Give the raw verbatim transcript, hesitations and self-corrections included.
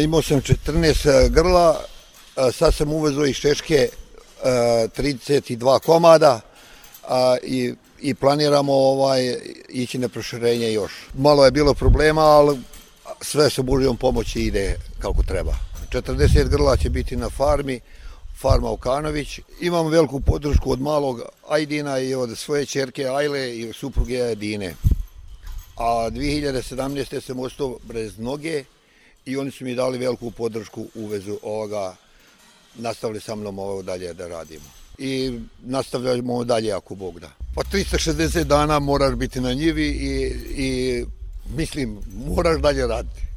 Imao sam četrnaest grla, sad sam uvezao iz Češke trideset dva komada i, i planiramo ovaj, ići na proširenje još. Malo je bilo problema, ali sve sa Božjom pomoći ide kako treba. četrdeset grla će biti na farmi, farma Okanović. Imam veliku podršku od malog Ajdina i od svoje ćerke Ajle i od supruge Dine. A dvije hiljade sedamnaeste. sam ostao bez noge i oni su mi dali veliku podršku u vezu ovoga. Nastavili sa mnom ovo dalje da radimo. I nastavljamo dalje ako Bog da. Pa tristo šezdeset dana moraš biti na njivi i, i mislim, moraš dalje raditi.